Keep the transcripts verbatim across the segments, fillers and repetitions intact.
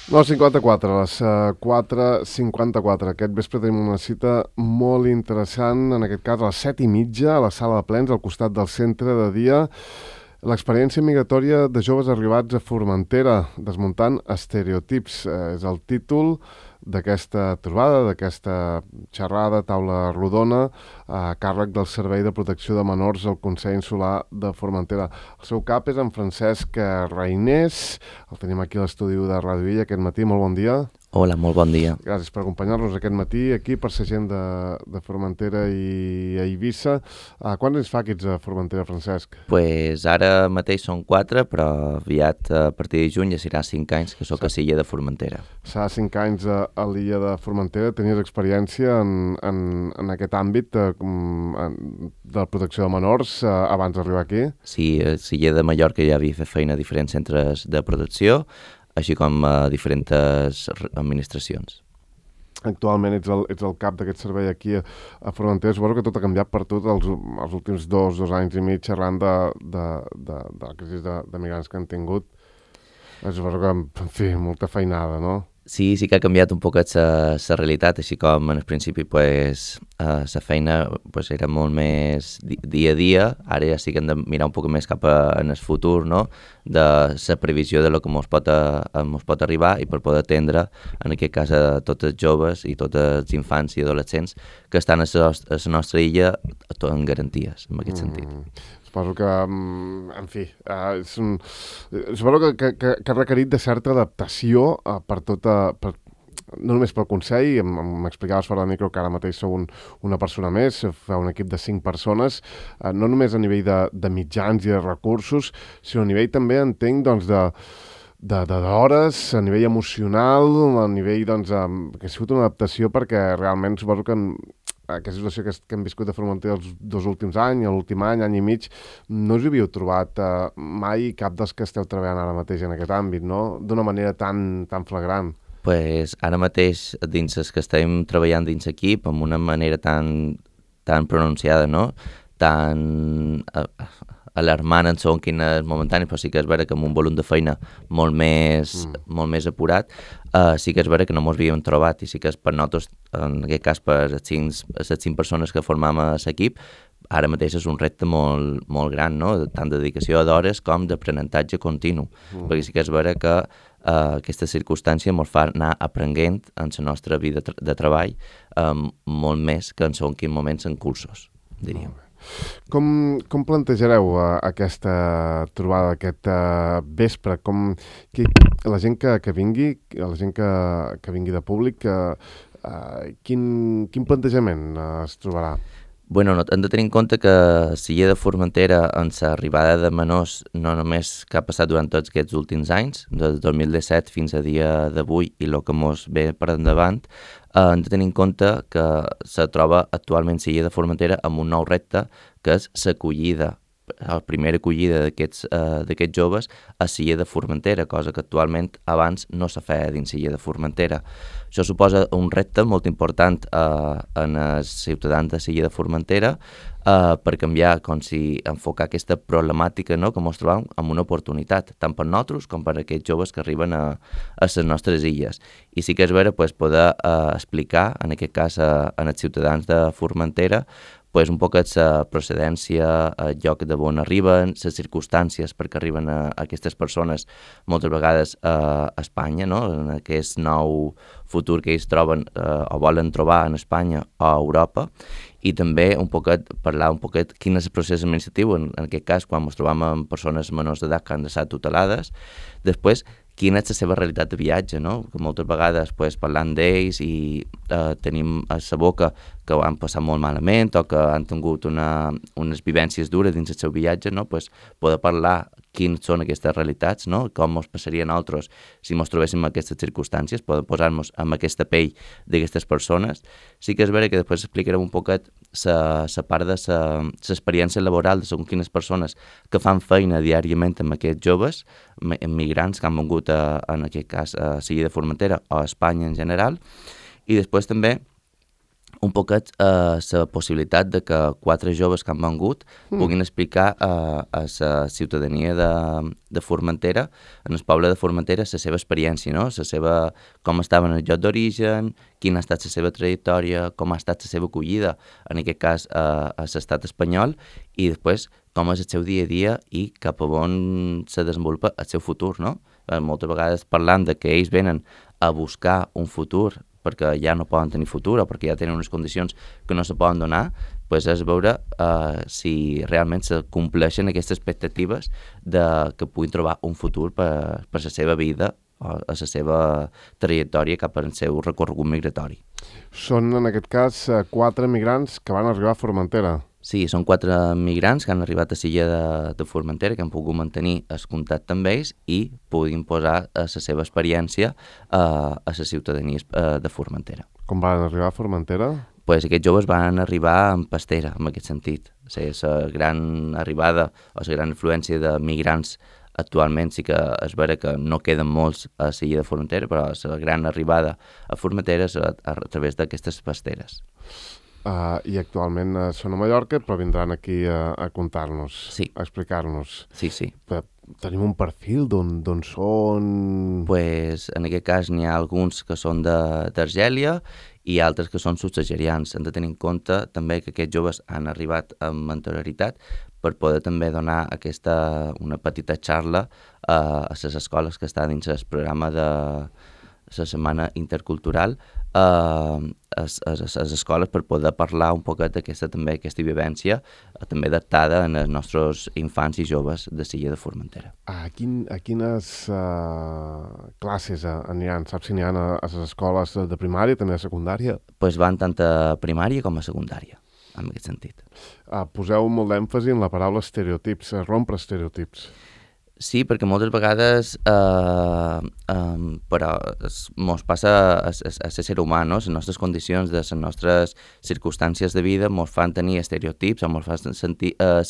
nou cinquanta-quatre, a les quatre cinquanta-quatre. Aquest vespre tenim una cita molt interessant, en aquest cas a les set i mitja, a la sala de plens, al costat del centre de dia. L'experiència migratòria de joves arribats a Formentera, desmuntant estereotips. Eh, és el títol d'aquesta trobada, d'aquesta xerrada, taula rodona, a càrrec del Servei de Protecció de Menors al Consell Insular de Formentera. El seu cap és en Francesc Reinés, el tenim aquí a l'estudi de Ràdio Illa aquest matí. Molt bon dia. Hola, molt bon dia. Gràcies per acompanyar-nos aquest matí aquí per ser gent de, de Formentera i a Eivissa. Uh, quants anys fa que ets a Formentera, Francesc? Pues ara mateix són quatre, però aviat a partir de juny ja serà cinc anys que sóc a l'illa de Formentera. Fa cinc anys a, a l'illa de Formentera. Tenies experiència en, en, en aquest àmbit de, de la protecció de menors uh, abans d'arribar aquí? Sí, a l'illa de Mallorca ja havia fet feina a diferents centres de protecció, així com a diferents administracions. Actualment ets el, ets el cap d'aquest servei aquí a, a Formentera. Suposo que tot ha canviat per tot els, els últims dos, dos anys i mig xerrant de, de, de, de la crisi de, de migrants que han tingut. Suposo que, en fi, molta feinada, no? Sí, sí que ha canviat un poquet la realitat, així com en el principi pues, la uh, feina pues, era molt més di dia a dia, ara ja sí que hem de mirar un poc més cap a, en el futur, no? De la previsió de lo que ens pot, pot arribar i per poder atendre, en aquest cas, a tots els joves i tots els infants i adolescents que estan a la, a la nostra illa tot en garanties, en aquest mm. sentit. Suposo que, en fi, uh, és un, suposo que, que, que, que ha requerit de certa adaptació uh, per tota, per, no només pel Consell, m'explicaves fora de micro que ara mateix sou un, una persona més, fa un equip de cinc persones, uh, no només a nivell de, de mitjans i de recursos, sinó a nivell també, entenc, doncs, de d'hores, a nivell emocional, a nivell, doncs, um, que ha sigut una adaptació perquè realment suposo que en, aquesta situació que, que hem viscut a Formentera els dos últims anys, l'últim any, any i mig, no us hi havíeu trobat uh, mai cap dels que esteu treballant ara mateix en aquest àmbit, no? D'una manera tan, tan flagrant. Pues ara mateix, dins els que estem treballant dins l'equip, amb una manera tan, tan pronunciada, no? Tan uh, alarmant en segons quines momentanis, però sí que és vera que amb un volum de feina molt més, mm. molt més apurat, uh, sí que és vera que no ens havíem trobat i sí que és per nosaltres, en aquest cas per les cinc, les cinc persones que formam a l'equip, ara mateix és un repte molt, molt gran, no? Tant de dedicació d'hores com d'aprenentatge continu, mm. perquè sí que és vera que uh, aquesta circumstància ens fa anar aprenent en la nostra vida de, de treball um, molt més que en segons quins moments en cursos, diríem. Mm. Com, com plantejareu uh, aquesta trobada, aquest uh, vespre? Com, que, la gent que, que vingui, la gent que, que vingui de públic, uh, uh, quin, quin plantejament uh, es trobarà? Bueno, no, hem de tenir en compte que l'illa de Formentera, en l'arribada de menors, no només que ha passat durant tots aquests últims anys, des del dos mil disset fins a dia d'avui i el que ens ve per endavant, eh, hem de tenir en compte que se troba actualment l'illa de Formentera amb un nou repte, que és l'acollida, la primera acollida d'aquests uh, d'aquests joves a l'illa de Formentera, cosa que actualment abans no se feia dins l'illa de Formentera. Això suposa un repte molt important uh, en els ciutadans de l'illa de Formentera uh, per canviar, com si enfocar aquesta problemàtica, no?, que ens trobam amb una oportunitat, tant per nosaltres com per aquests joves que arriben a, a les nostres illes. I sí que és vera pues, poder uh, explicar, en aquest cas uh, en els ciutadans de Formentera, pues, un poc la procedència, el lloc de on arriben, les circumstàncies perquè arriben a, a aquestes persones moltes vegades a, a Espanya, no?, en aquest nou futur que ells troben eh, o volen trobar en Espanya o a Europa, i també un poquet, parlar un poquet quin és el procés administratiu, en, en aquest cas quan ens trobam amb persones menors d'edat que han estat tutelades, després quina és la seva realitat de viatge, no? Que moltes vegades pues, parlant d'ells i eh, tenim a la boca que ho han passat molt malament o que han tingut una, unes vivències dures dins el seu viatge, no? Pues, poder parlar quines són aquestes realitats, no? Com ens passaria a nosaltres si ens trobéssim en aquestes circumstàncies, poder posar-nos en aquesta pell d'aquestes persones. Sí que és vera que després explicarem un poquet la part de l'experiència laboral de segons quines persones que fan feina diàriament amb aquests joves, migrants que han vengut a, en aquest cas a l'illa de Formentera o a Espanya en general, i després també un poquet eh, la possibilitat de que quatre joves que han vengut mm. puguin explicar eh, a la ciutadania de, de Formentera, en el poble de Formentera, la seva experiència, no? La seva, com estava en el lloc d'origen, quina ha estat la seva trajectòria, com ha estat la seva acollida, en aquest cas eh, a l'estat espanyol, i després com és el seu dia a dia i cap a on se desenvolupa el seu futur, no? Eh, moltes vegades parlant de que ells venen a buscar un futur perquè ja no poden tenir futur o perquè ja tenen unes condicions que no se poden donar, pues és veure uh, si realment se compleixen aquestes expectatives de que puguin trobar un futur per, per la seva vida o a la seva trajectòria cap al seu recorregut migratori. Són, en aquest cas, quatre migrants que van arribar a Formentera. Sí, són quatre migrants que han arribat a l'illa de, de Formentera, que han pogut mantenir el contacte amb ells i puguin posar la seva experiència uh, a la ciutadania uh, de Formentera. Com van arribar a Formentera? Pues aquests joves van arribar en pastera, en aquest sentit. O sigui, la gran arribada o la gran influència de migrants actualment sí que és vera que no queden molts a l'illa de Formentera, però la gran arribada a Formentera és a, a, a través d'aquestes pasteres. Uh, I actualment uh, són a Mallorca, però vindran aquí a, a contar-nos, sí. a explicar-nos. Sí, sí. Però tenim un perfil d'on són... Pues, en aquest cas n'hi ha alguns que són d'Argèlia i altres que són subsaharians. Hem de tenir en compte també que aquests joves han arribat amb anterioritat per poder també donar aquesta, una petita xarra uh, a les escoles que estan dins el programa de la Setmana Intercultural uh, a les escoles per poder parlar un poquet d'aquesta també aquesta vivència uh, també adaptada en els nostres infants i joves de l'illa de Formentera. A, quin, a quines uh, classes aniran? Saps si n'hi ha a, a les escoles de primària, també a secundària? Pues van tant a primària com a secundària, en aquest sentit. Uh, poseu molt d'èmfasi en la paraula estereotips, rompre estereotips. Sí, perquè moltes vegades, eh, eh, però ens passa a, a, a ser humà, no? Les nostres condicions, de les nostres circumstàncies de vida ens fan tenir estereotips o ens fan sentir, eh,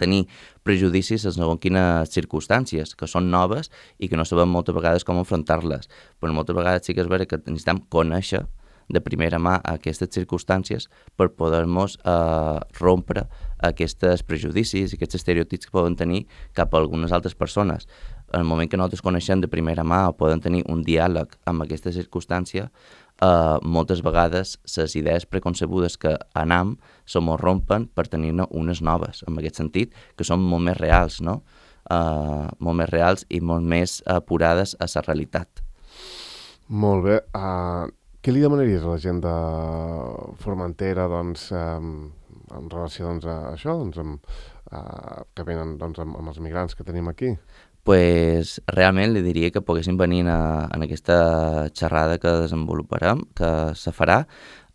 tenir prejudicis en segons quines circumstàncies, que són noves i que no sabem moltes vegades com enfrontar-les. Però moltes vegades sí que és vera que necessitem conèixer de primera mà aquestes circumstàncies per poder-nos eh, rompre aquests prejudicis i aquests estereotips que poden tenir cap a algunes altres persones. En el moment que nosaltres coneixem de primera mà o poden tenir un diàleg amb aquesta circumstància, eh, moltes vegades les idees preconcebudes que anam se mos rompen per tenir-ne unes noves, en aquest sentit, que són molt més reals, no? Eh, molt més reals i molt més apurades a la realitat. Molt bé. Uh... Què li demanaries a la gent de Formentera, doncs, eh, en relació doncs, a això, doncs, amb, eh, que venen doncs, amb, amb els migrants que tenim aquí? Pues, realment li diria que poguessin venir a, en aquesta xerrada que desenvoluparem, que se farà,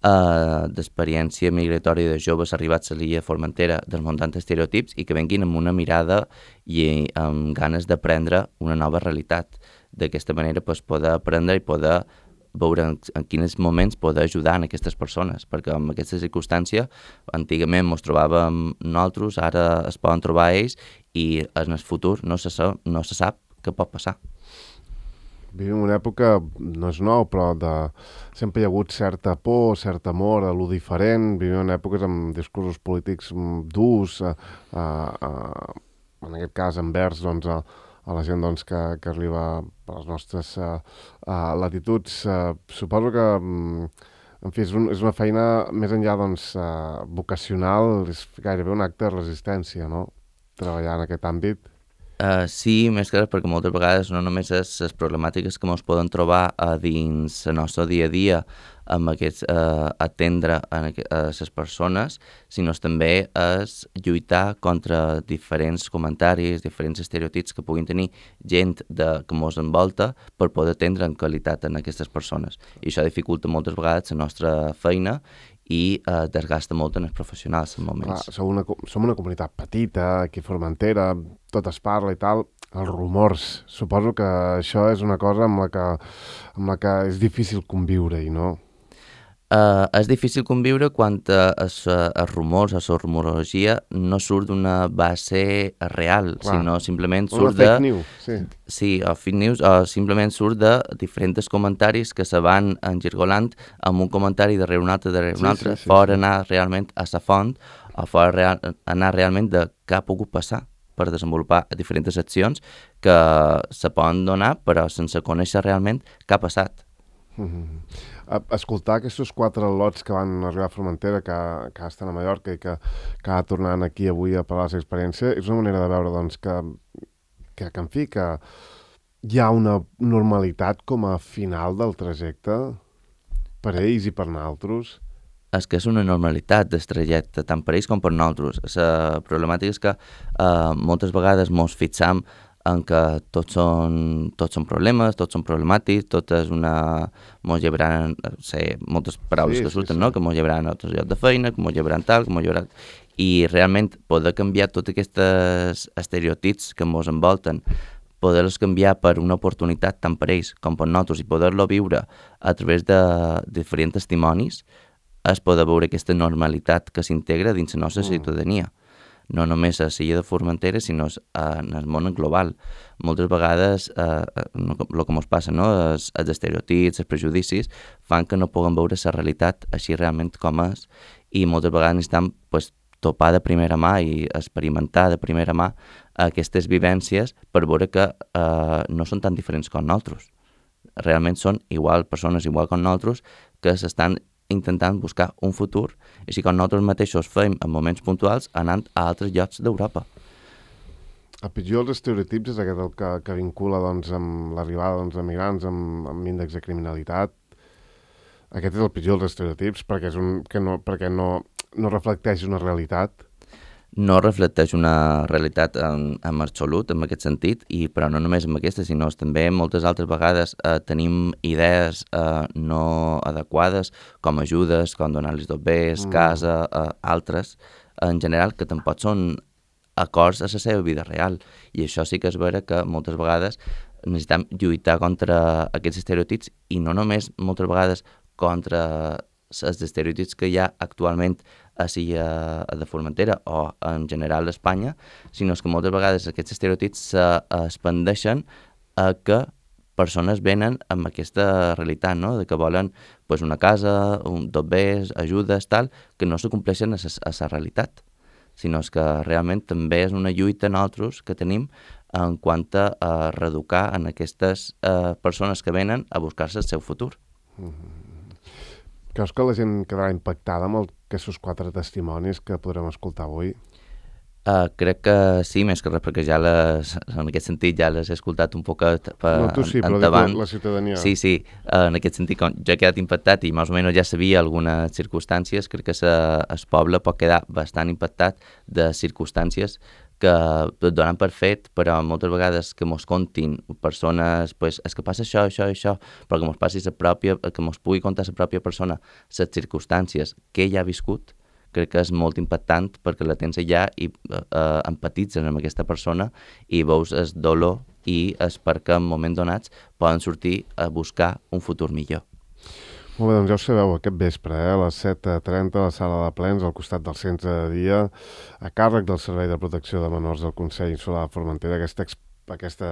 eh, d'experiència migratòria de joves arribats a l'illa de Formentera desmuntant estereotips i que venguin amb una mirada i amb ganes d'aprendre una nova realitat. D'aquesta manera, pues, poder aprendre i poder veure en, en quins moments poder ajudar en aquestes persones, perquè en aquesta circumstància antigament ens trobàvem nosaltres, ara es poden trobar ells i en el futur no se sap, no se sap què pot passar. Vivim una època, no és nou, però de... sempre hi ha hagut certa por, cert amor a lo diferent, vivim en èpoques amb discursos polítics durs, a, a, a, en aquest cas envers doncs, a, a la gent doncs, que, que arriba a les nostres uh, uh, latituds. Uh, suposo que um, en fi, és, un, és una feina més enllà doncs, uh, vocacional, és gairebé un acte de resistència, no? Treballar en aquest àmbit. Uh, sí, més que res perquè moltes vegades no només és les problemàtiques que ens poden trobar uh, dins el nostre dia a dia amb aquests, uh, atendre a, a les persones, sinó també és lluitar contra diferents comentaris, diferents estereotips que puguin tenir gent de, que ens envolta per poder atendre en qualitat en aquestes persones. I això dificulta moltes vegades la nostra feina i eh, desgasta molt en els professionals en moments. Clar, som una, som una comunitat petita, aquí a Formentera, tot es parla i tal, els rumors. Suposo que això és una cosa amb la que, amb la que és difícil conviure-hi, no? Uh, és difícil conviure quan uh, els, uh, els rumors, la rumorologia no surt d'una base real, Clar. sinó simplement Una surt fake de... news, sí. Sí, o fake news, o simplement surt de diferents comentaris que se van engirgolant amb un comentari darrere un altre, darrere un Sí, altre, sí, sí, fora sí. anar realment a la font, o fora real, anar realment de què ha pogut passar per desenvolupar diferents accions que se poden donar, però sense conèixer realment què ha passat. Mm-hmm. Escoltar aquests quatre lots que van arribar a Formentera, que, que estan a Mallorca i que, que ha tornant aquí avui a parlar de la seva experiència, és una manera de veure doncs, que, que, que, en fi, que hi ha una normalitat com a final del trajecte per ells i per nosaltres. És que és una normalitat del trajecte, tant per ells com per nosaltres. La problemàtica és que eh, moltes vegades mos fixam en què tots són, tots són problemes, tots són problemàtics, tot és una... mos llevaran, sé, moltes paraules Sí, que sí, surten, sí. no? Que mos llevaran a altres llocs de feina, que mos llevaran tal, que mos llevaran... I realment poder canviar tots aquests estereotips que mos envolten, poder-los canviar per una oportunitat tant per ells com per nosaltres i poder-lo viure a través de diferents testimonis, és poder veure aquesta normalitat que s'integra dins la nostra Mm. ciutadania. No només a l'illa de Formentera, sinó en el món global. Moltes vegades eh, el que ens passa, no? els, els estereotips, els prejudicis, fan que no puguem veure la realitat així realment com és, i moltes vegades necessitem pues, topar de primera mà i experimentar de primera mà aquestes vivències per veure que eh, no són tan diferents com nosaltres. Realment són igual persones igual com nosaltres que s'estan intentant buscar un futur, així com nosaltres mateixos fem en moments puntuals anant a altres llocs d'Europa. El pitjor dels estereotips és aquest el que, que vincula doncs, amb l'arribada doncs, de migrants amb, amb índex de criminalitat. Aquest és el pitjor dels estereotips perquè, és un, que no, perquè no, no reflecteix una realitat. No reflecteix una realitat en, en absolut, en aquest sentit, i però no només en aquesta, sinó també moltes altres vegades eh, tenim idees eh, no adequades, com ajudes, com donar-los dobbers, Mm. casa, eh, altres, en general, que tampoc són acords a la seva vida real. I això sí que és vera que moltes vegades necessitem lluitar contra aquests estereotips i no només moltes vegades contra els estereotips que hi ha actualment així a, a de Formentera o en general a Espanya, sinó que moltes vegades aquests estereotips s'expandeixen a que persones venen amb aquesta realitat, no? De que volen pues, una casa, un dobbers, ajudes, tal, que no se compleixen a la realitat, sinó que realment també és una lluita nosaltres que tenim en quant a, a reeducar en aquestes eh, persones que venen a buscar-se el seu futur. Mm-hmm. Creus que la gent quedarà impactada amb el, aquests quatre testimonis que podrem escoltar avui? Uh, crec que sí, més que res, perquè ja les, en aquest sentit ja les he escoltat un poc per No, tu sí, però dic la, la ciutadania. Sí, sí, uh, en aquest sentit, com jo he quedat impactat i més o menys ja sabia algunes circumstàncies, crec que sa, el poble pot quedar bastant impactat de circumstàncies que et donen per fet, però moltes vegades que mos contin persones, pues, és que passa això, això, això, però que mos passi la pròpia, que mos pugui contar la pròpia persona les circumstàncies que ell ha viscut, crec que és molt impactant perquè la tens allà i eh, empatitzes amb aquesta persona i veus el dolor i és perquè en moments donats poden sortir a buscar un futur millor. Molt bé, doncs ja ho sabeu, aquest vespre, eh, a les set trenta a la sala de plens, al costat del centre de dia, a càrrec del Servei de Protecció de Menors del Consell Insular de Formentera, aquesta, aquesta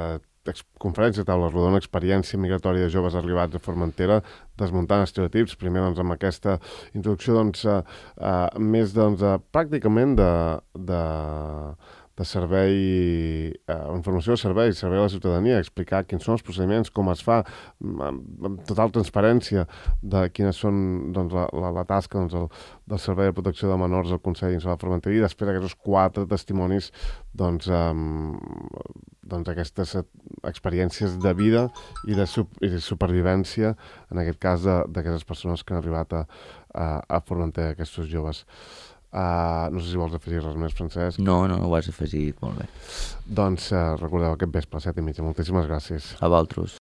conferència taula rodona, experiència migratòria de joves arribats a Formentera, desmuntant estereotips, primer doncs, amb aquesta introducció doncs, uh, uh, més doncs, uh, pràcticament de, de, de servei, uh, informació de servei, servei a la ciutadania, explicar quins són els procediments, com es fa, amb, amb total transparència de quines són doncs, la, la, la tasca doncs, el, del Servei de Protecció de Menors del Consell Insular de Formentera i després aquests quatre testimonis doncs, um, doncs aquestes experiències de vida i de, sup i de supervivència, en aquest cas d'aquestes persones que han arribat a, a, a Formentera, aquests joves. Uh, no sé si vols afegir res més, Francesc. No, no, ho has afegit molt bé. Doncs uh, recordeu aquest vespre a set i mitja. Moltíssimes gràcies. A vosaltres.